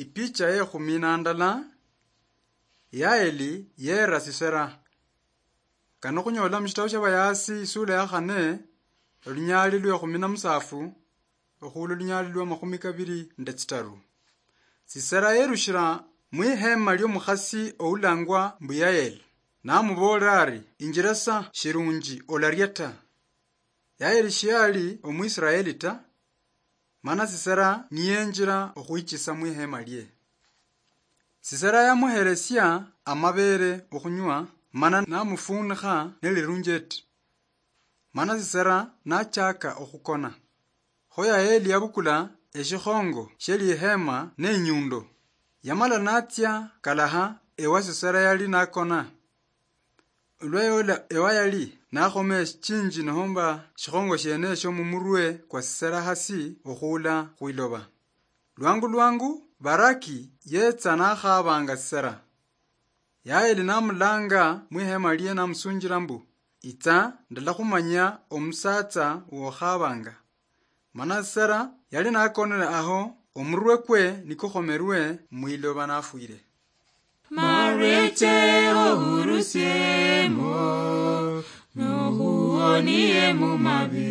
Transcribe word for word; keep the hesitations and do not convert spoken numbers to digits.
Ipicha ye khumi na ndala, Yaeli yera Sisera. Kano khunyola mushitabu shia Bayasi isula ya khane, olunyali lwe khumi na musafu, okhula olunyali lwa makhumi kabiri nde tsitaru. Sisera yerushira mwihema liomukhasi oulangwa mbu Yaeli, namuboolera ari, "Injira sa, shirunji olaria ta." Yaeli shiali Omwisraeli ta, mana Sisera niyenjira okhwichisa mwihema lie. Sisera yamuheresia amabere okhunywa, mana namufunikha nelirunjeti. Mana Sisera nachaka okhukona. Kho Yaeli yabukula eshikhongo shie lihema nenyundo. Yamala natsia kalaha ewa Sisera yali nakona. Olwa yola ewa yali nakhoma eshichinji nohomba shikhongo shiene esho mumurwe kwa Sisera hasi okhuula khwiloba. Lwangu lwangu Baraki yetsa nakhabanga Sisera. Yaeli namulanga mwihema lie namusunjila mbu, "Itsa, ndalakhumanya omusatsa wokhabanga." Mana Sisera yali nakonere aho, omurwe kwe nikukhomerwe mwiloba nafwire. Marweche ohurusiemo, nohuonie mumabi.